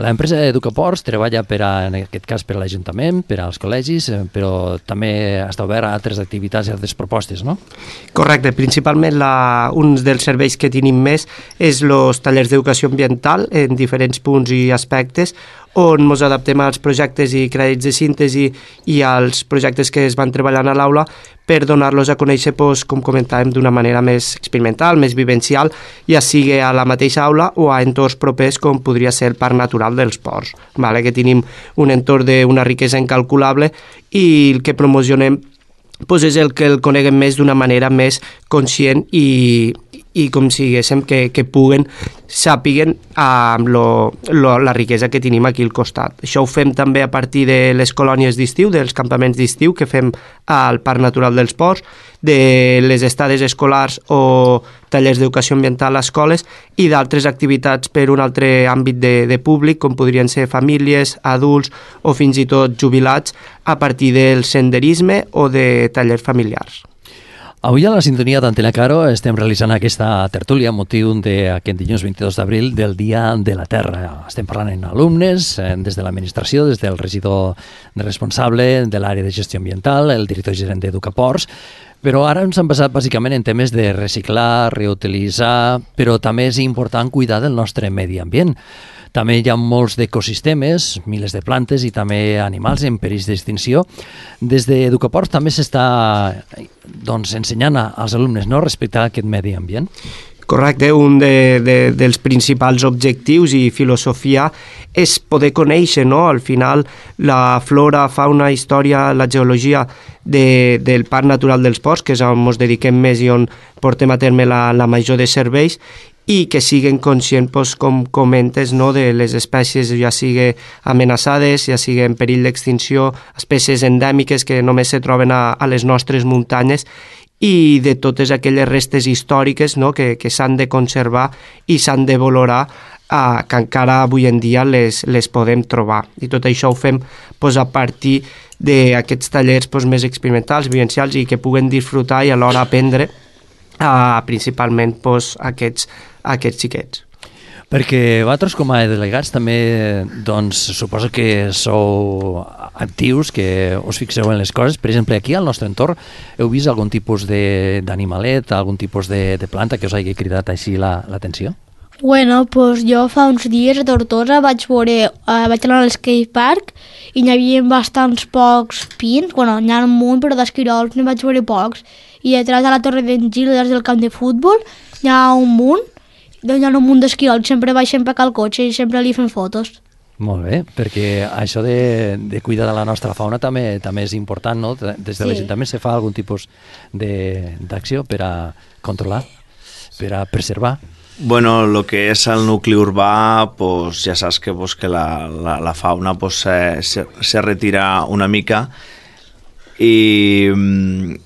L'empresa Educaports treballa, per a, en aquest cas, per a l'Ajuntament, per als col·legis, però també està obert a altres activitats i altres propostes, no? Correcte, principalment la, un dels serveis que tenim més és els tallers d'educació ambiental en diferents punts i aspectes, on ens adaptem als projectes i crèdits de síntesi i als projectes que es van treballant a l'aula per donar-los a conèixer, doncs, com comentàvem, d'una manera més experimental, més vivencial, ja sigui a la mateixa aula o a entorns propers com podria ser el Parc Natural dels Ports, vale? Que tenim un entorn d'una riquesa incalculable i el que promocionem doncs, és el que el coneguem més d'una manera més conscient i, i com si diguéssim que, que puguen sàpiguen amb lo, lo, la riquesa que tenim aquí al costat. Això ho fem també a partir de les colònies d'estiu, dels campaments d'estiu que fem al Parc Natural dels Ports, de les estades escolars o tallers d'educació ambiental a escoles i d'altres activitats per un altre àmbit de, de públic, com podrien ser famílies, adults o fins i tot jubilats, a partir del senderisme o de tallers familiars. Avui a la sintonia d'Antena Caro estem realitzant aquesta tertúlia amb motiu d'aquest dilluns vint-i-dos d'abril del Dia de la Terra. Estem parlant amb alumnes, des de l'administració, des del regidor responsable de l'àrea de gestió ambiental, el director gerent d'Educaports, però ara ens hem basat bàsicament en temes de reciclar, reutilitzar, però també és important cuidar del nostre medi ambient. També hi ha molts d'ecosistemes, milers de plantes i també animals en perill d'extinció. Des d'Educaports també s'està doncs, ensenyant als alumnes no respectar aquest medi ambient. Correcte, un de, de, dels principals objectius i filosofia és poder conèixer, no? Al final, la flora, fauna, història, la geologia de, del Parc Natural dels Ports, que és on ens dediquem més i on portem a terme la, la major de serveis, i que siguin conscients, doncs, com comentes, no? De les espècies ja sigui amenaçades, ja sigui en perill d'extinció, espècies endèmiques que només se troben a, a les nostres muntanyes, i de totes aquelles restes històriques, no? que, que s'han de conservar i s'han de valorar, eh, que encara avui en dia les, les podem trobar. I tot això ho fem doncs, a partir d'aquests tallers doncs, més experimentals, vivencials, i que puguen disfrutar i alhora aprendre eh, principalment doncs, aquests, aquests xiquets. Perquè vosaltres com a delegats també doncs, suposo que sou actius, que us fixeu en les coses. Per exemple, aquí al nostre entorn heu vist algun tipus d'animalet, algun tipus de, de planta que us hagi cridat així l'atenció? La, bueno, pues jo fa uns dies a Tortosa vaig veure, uh, vaig anar al skate park i n'hi havia bastants pocs pins, bueno, n'hi ha un munt, però d'esquirols n'hi vaig veure pocs. I detrás de la torre d'en Gil, des del camp de futbol, hi ha un munt, doncs hi ha un munt d'esquirols, sempre baixem per al cotxe i sempre li fem fotos. Molt bé, perquè això de, de cuidar de la nostra fauna també també és important, no? Des de Sí. l'Ajuntament se fa algun tipus d'acció per a controlar, per a preservar. Bueno, el que és el nucli urbà, pues, ja saps que, pues, que la, la, la fauna pues, se, se, se retira una mica i,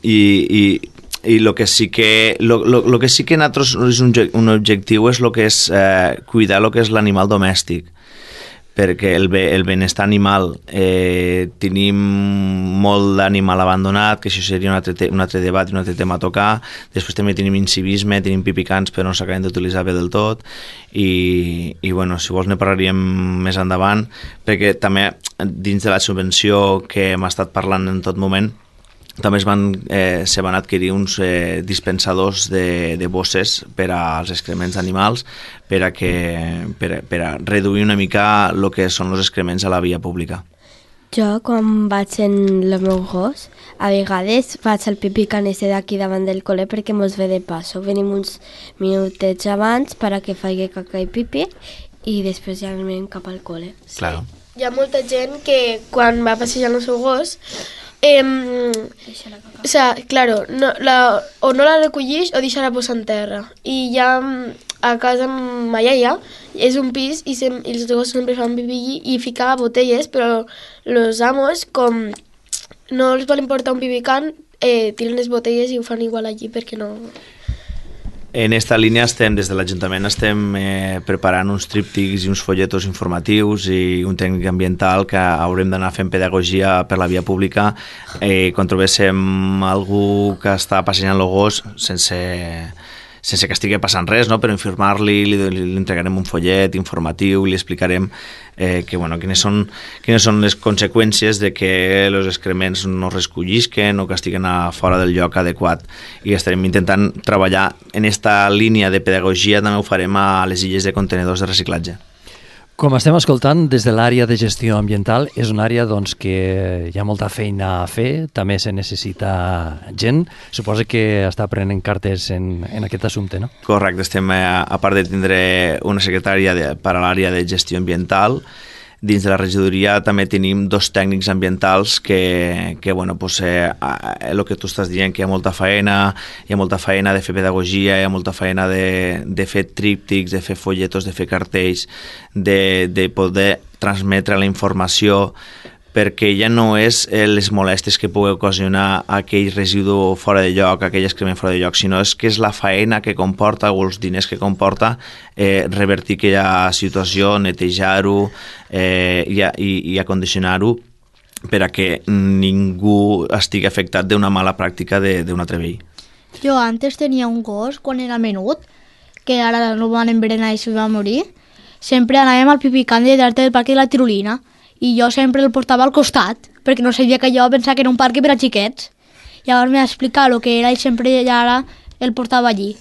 i, i, i lo que sí que lo, lo, lo que sí que nosaltres és un, un objectiu és lo que és eh, cuidar lo que és l'animal domèstic, perquè el, el benestar animal eh, tenim molt d'animal abandonat, que això seria un altre, un altre debat i un altre tema a tocar. Després també tenim incivisme, tenim pipicans però no s'acaben d'utilitzar bé del tot i, i bueno, si vols ne parlaríem més endavant, perquè també dins de la subvenció que hem estat parlant en tot moment també es van, eh, se van adquirir uns eh, dispensadors de, de bosses per als excrements d'animals per a, que, per, a, per a reduir una mica el que són els excrements a la via pública. Jo, quan vaig en el meu gos, a vegades faig el pipí canese d'aquí davant del col·le perquè mos ve de passo. Venim uns minutets abans per a que faci caca i pipí i després ja anem cap al col·le. Sí. Claro. Hi ha molta gent que quan va passejar el seu gos Eh, o sea, claro, no, la, o no la recollix o deixa-la posar en terra. I ja a casa amb ma iaia és un pis i, sem, i els gossos sempre fan pipí i ficava botelles, però els amos, com no els volen portar un pipicant, eh, tiren les botelles i ho fan igual allí perquè no... En esta línia estem, des de l'Ajuntament, estem eh, preparant uns tríptics i uns folletos informatius i un tècnic ambiental que haurem d'anar fent pedagogia per la via pública eh, quan trobéssim algú que està passejant el gos sense, sense que estigui passant res, no? Per informar-li, li, li entregarem un follet informatiu, li explicarem eh, que, bueno, quines, són, quines són les conseqüències de que els excrements no es recollisquen o que estiguen a fora del lloc adequat, i estarem intentant treballar en esta línia de pedagogia. També ho farem a les illes de contenedors de reciclatge. Com estem escoltant, des de l'àrea de gestió ambiental és una àrea doncs, que hi ha molta feina a fer, també se necessita gent. Suposo que està prenent cartes en, en aquest assumpte, no? Correcte, estem, a, a part de tindre una secretària de, per a l'àrea de gestió ambiental, dins de la regidoria també tenim dos tècnics ambientals que, que bueno, pues, eh, el que tu estàs dient, que hi ha molta feina, hi ha molta feina de fer pedagogia, hi ha molta feina de, de fer tríptics, de fer folletos, de fer cartells, de, de poder transmetre la informació, perquè ja no és eh, les molèsties que pugui ocasionar aquell residu fora de lloc, aquell excrement fora de lloc, sinó és que és la faena que comporta o els diners que comporta eh, revertir aquella situació, netejar-ho eh, i, i, i acondicionar-ho per a que ningú estigui afectat d'una mala pràctica d'un altre veí. Jo antes tenia un gos, quan era menut, que ara no van envenenar i se va morir. Sempre anàvem al pipicant de dalt del parc de la Tirolina, i jo sempre el portava al costat, perquè no sabia que jo pensava que era un parc per a xiquets. Llavors m'ha explicat el que era i sempre ja ara el portava allí.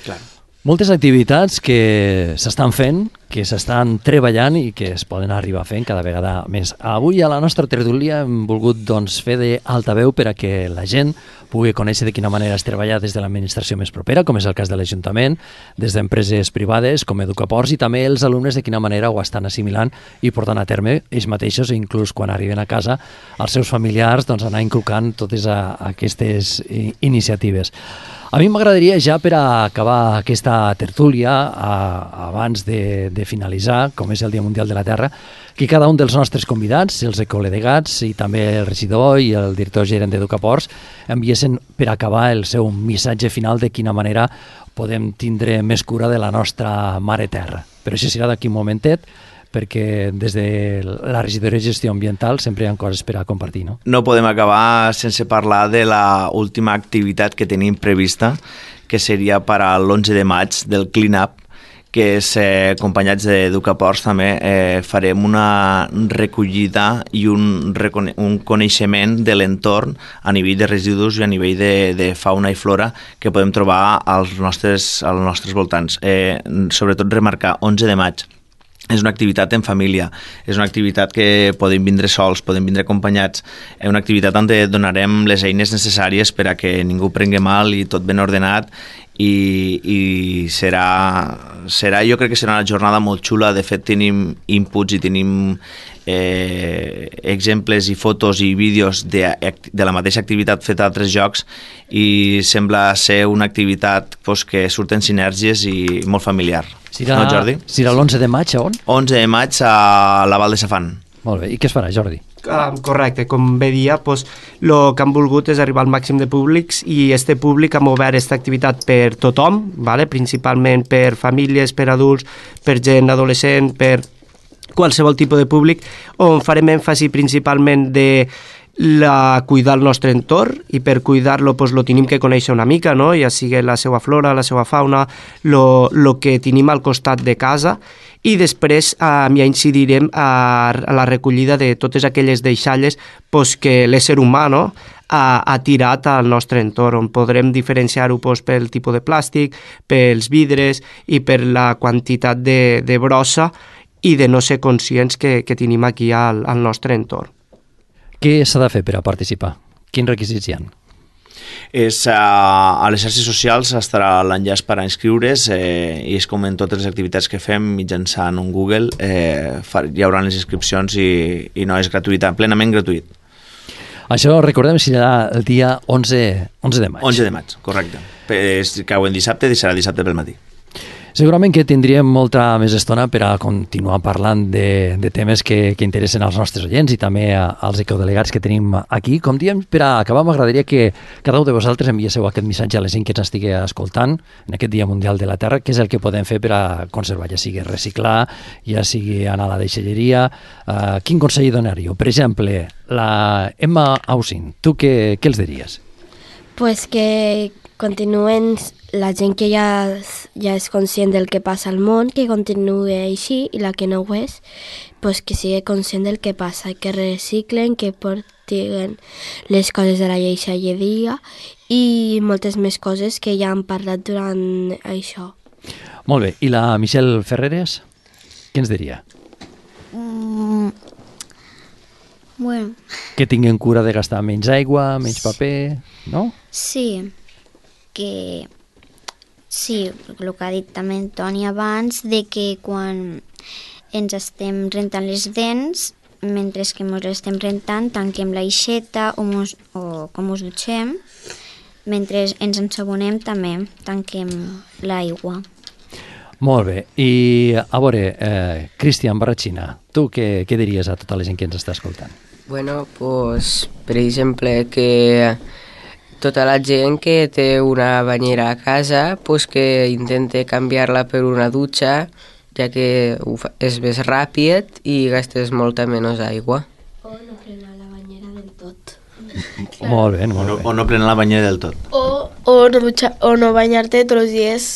Clar. Moltes activitats que s'estan fent, que s'estan treballant i que es poden arribar fent cada vegada més. Avui a la nostra tertúlia hem volgut doncs, fer d'altaveu per a que la gent pugui conèixer de quina manera es treballa des de l'administració més propera, com és el cas de l'Ajuntament, des d'empreses privades com Educaports, i també els alumnes de quina manera ho estan assimilant i portant a terme ells mateixos, i inclús quan arriben a casa els seus familiars, doncs, anar inculcant totes a, a aquestes iniciatives. A mi m'agradaria, ja per a acabar aquesta tertúlia, a, abans de, de finalitzar, com és el Dia Mundial de la Terra, que cada un dels nostres convidats, els ecodelegats i també el regidor i el director gerent d'Educaports, enviessin per acabar el seu missatge final de quina manera podem tindre més cura de la nostra mare terra. Però això serà d'aquí un momentet, perquè des de la regidoria de gestió ambiental sempre hi ha coses per a compartir, no? No podem acabar sense parlar de la última activitat que tenim prevista, que seria per a l'onze de maig del Clean Up, que és, eh, acompanyats d'Educaports també, eh, farem una recollida i un, un coneixement de l'entorn a nivell de residus i a nivell de, de fauna i flora que podem trobar als nostres, als nostres voltants. Eh, sobretot remarcar, onze de maig. És una activitat en família, és una activitat que podem vindre sols, podem vindre acompanyats, és una activitat on donarem les eines necessàries per a que ningú prengui mal i tot ben ordenat, i, i serà, serà, jo crec que serà una jornada molt xula. De fet, tenim inputs i tenim eh, exemples i fotos i vídeos de, de la mateixa activitat feta a altres jocs, i sembla ser una activitat pues, que surten sinergies i molt familiar. Serà, no, Jordi? Serà l'onze de maig, a on? onze de maig a la Val de Safant. Molt bé, i què es farà, Jordi? Uh, correcte, com bé dia, pues, lo que han volgut és arribar al màxim de públics, i este públic hem obert aquesta activitat per tothom, vale? Principalment per famílies, per adults, per gent adolescent, per qualsevol tipus de públic, on farem èmfasi principalment de la, cuidar el nostre entorn, i per cuidar-lo pues, lo tenim que conèixer una mica, no? Ja sigui la seva flora, la seva fauna, lo, lo que tenim al costat de casa, i després eh, ja incidirem a, a la recollida de totes aquelles deixalles pues, que l'ésser humà no, ha, ha tirat al nostre entorn, on podrem diferenciar-ho pues, pel tipus de plàstic, pels vidres i per la quantitat de, de brossa i de no ser conscients que, que tenim aquí al, al nostre entorn. Què s'ha de fer per a participar? Quins requisits hi ha? És, a, a les xarxes socials estarà l'enllaç per a inscriure's, eh, i és com en totes les activitats que fem mitjançant un Google, eh, hi haurà les inscripcions i, i no és gratuïta, plenament gratuït. Això, recordem, serà el dia onze de maig. onze de maig, correcte. És, cau en dissabte i serà dissabte pel matí. Segurament que tindríem molta més estona per a continuar parlant de, de temes que, que interessen als nostres oients i també a, als ecodelegats que tenim aquí. Com diem, per a acabar, m'agradaria que cada un de vosaltres enviéssiu aquest missatge a la gent que ens estigui escoltant en aquest Dia Mundial de la Terra, què és el que podem fer per a conservar, ja sigui reciclar, ja sigui anar a la deixalleria. Uh, quin consell donaríeu? Per exemple, la Emma Ausín, tu què, què els diries? Pues que continuen la gent que ja, ja és conscient del que passa al món, que continuï així, i la que no ho és, pues que sigui conscient del que passa, que reciclen, que portin les coses de la deixalleria i moltes més coses que ja han parlat durant això. Molt bé, i la Michelle Ferreres, què ens diria? Mm, bueno. Que tinguin cura de gastar menys aigua, menys paper, no? Sí, que sí, el que ha dit també Antoni abans, de que quan ens estem rentant les dents, mentre que ens les estem rentant, tanquem l'aixeta o, mos, o com us dutxem, mentre ens ensabonem també tanquem l'aigua. Molt bé, i a veure, eh, Cristian Barratxina, tu què, què diries a tota la gent que ens està escoltant? Bueno, pues, per exemple, que tota la gent que té una banyera a casa, pues que intente canviar-la per una dutxa, ja que és més ràpid i gastes molta menys aigua. O no frenar la banyera del tot. Molt bé, molt o no, bé. O no frenar la banyera del tot. O, o, no, dutxa, o no banyar-te tots els dies.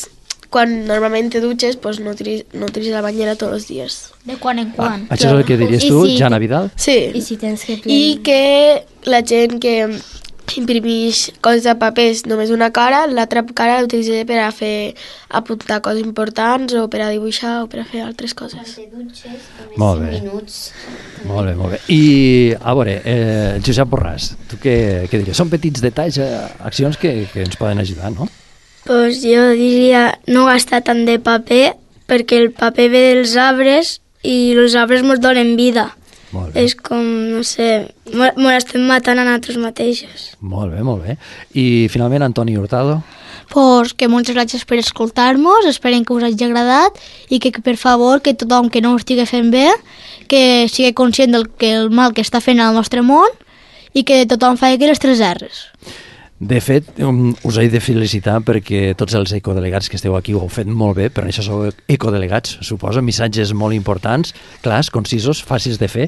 Quan normalment te dutxes, pues no tiris, no tiris la banyera tots els dies. De quan en quan. Ah, això és el que diries tu, si Jana Vidal? Sí. I si tens que I que la gent que imprimeix coses de papers només una cara, l'altra cara l'utilitzaré per a fer apuntar coses importants o per a dibuixar o per a fer altres coses. Molt bé. Molt bé, molt bé. I, a veure, eh, Josep Borràs, tu què, què diries? Són petits detalls, eh, accions que, que ens poden ajudar, no? Pues jo diria no gastar tant de paper, perquè el paper ve dels arbres i els arbres ens donen vida. Molt bé. És com, no sé, ens estem matant a nosaltres mateixos. Molt bé, molt bé. I finalment, Antoni Hurtado. Pues que moltes gràcies per escoltar-nos, esperem que us hagi agradat i que, per favor, que tothom que no ho estigui fent bé, que sigui conscient del que el mal que està fent al nostre món i que tothom faci les tres erres. De fet, um, us he de felicitar perquè tots els ecodelegats que esteu aquí ho heu fet molt bé, per això sou ecodelegats, suposo, missatges molt importants, clars, concisos, fàcils de fer.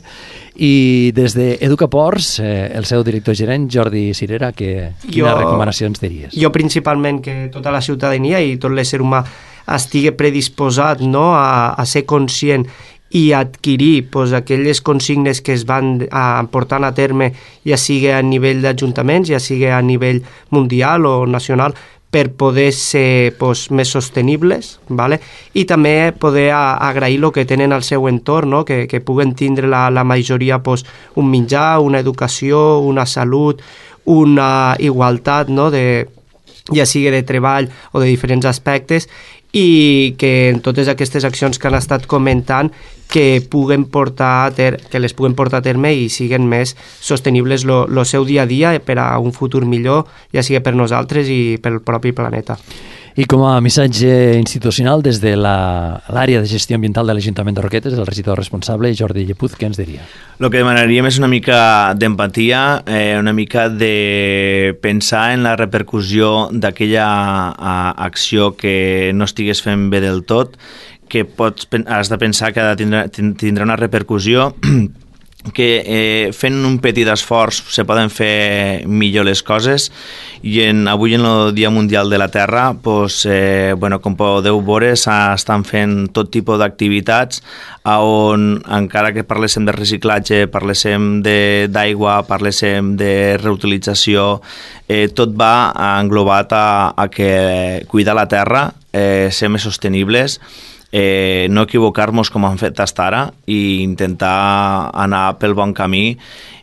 I des d'Educaports, eh, el seu director gerent, Jordi Cirera, que, quines Jo- recomanacions diries? Jo principalment que tota la ciutadania i tot l'ésser humà estigui predisposat, no, a, a ser conscient i adquirir pues, aquelles consignes que es van a, portant a terme, ja sigui a nivell d'ajuntaments, ja sigui a nivell mundial o nacional, per poder ser pues, més sostenibles, ¿vale? I també poder a, agrair el que tenen al seu entorn, no? que, que puguen tindre la, la majoria pues, un menjar, una educació, una salut, una igualtat, no? de, ja sigui de treball o de diferents aspectes, i que en totes aquestes accions que han estat comentant que puguen portar a ter que les puguen portar a terme i siguen més sostenibles el seu dia a dia per a un futur millor, ja sigui per nosaltres i pel propi planeta. I com a missatge institucional, des de l'àrea de gestió ambiental de l'Ajuntament de Roquetes, el regidor responsable, Jordi Llepuz, què ens diria? El que demanaríem és una mica d'empatia, eh, una mica de pensar en la repercussió d'aquella acció que no estigués fent bé del tot, que pots, has de pensar que tindrà, tindrà una repercussió, que eh, fent un petit esforç se poden fer millor les coses, i en, avui en el Dia Mundial de la Terra, pues, eh, bueno, com podeu veure, s'estan fent tot tipus d'activitats on, encara que parléssim de reciclatge, parléssim d'aigua, parléssim de reutilització, eh, tot va englobat a, a que cuidar la terra, eh, ser més sostenibles, Eh, no equivocar-nos com han fet fins ara i intentar anar pel bon camí,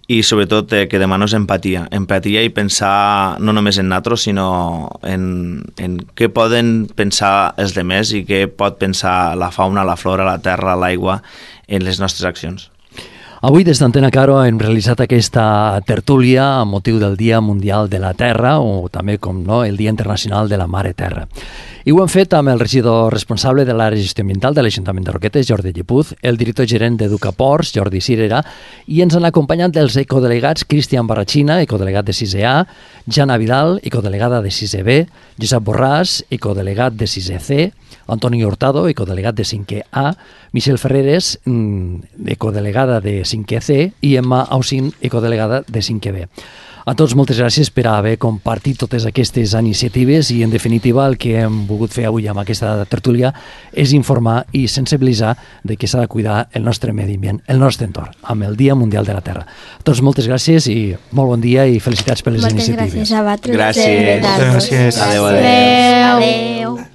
i sobretot eh, que demanos empatia, empatia i pensar no només en nosaltres, sinó en, en què poden pensar els demés i què pot pensar la fauna, la flora, la terra, l'aigua en les nostres accions. Avui des d'Antena Caro hem realitzat aquesta tertúlia amb motiu del Dia Mundial de la Terra, o també, com no, el Dia Internacional de la Mare Terra. I ho hem fet amb el regidor responsable de l'àrea de gestió ambiental de l'Ajuntament de Roquetes, Jordi Llepuz, el director gerent d'Educaports, Jordi Cirera, i ens han acompanyat els ecodelegats Cristian Barrachina, ecodelegat de sisè A, Jana Vidal, ecodelegada de sisè B, Josep Borràs, ecodelegat de sisè C, Antoni Hurtado, ecodelegat de cinquè A, Michelle Ferreres, ecodelegada de cinquè C, i Emma Ausin, ecodelegada de cinquè B. A tots moltes gràcies per haver compartit totes aquestes iniciatives, i en definitiva el que hem volgut fer avui amb aquesta tertúlia és informar i sensibilitzar de que s'ha de cuidar el nostre medi ambient, el nostre entorn, amb el Dia Mundial de la Terra. A tots moltes gràcies i molt bon dia i felicitats per les moltes iniciatives. Moltes gràcies a vosaltres. Gràcies. Gràcies. Adéu, adéu. Adéu.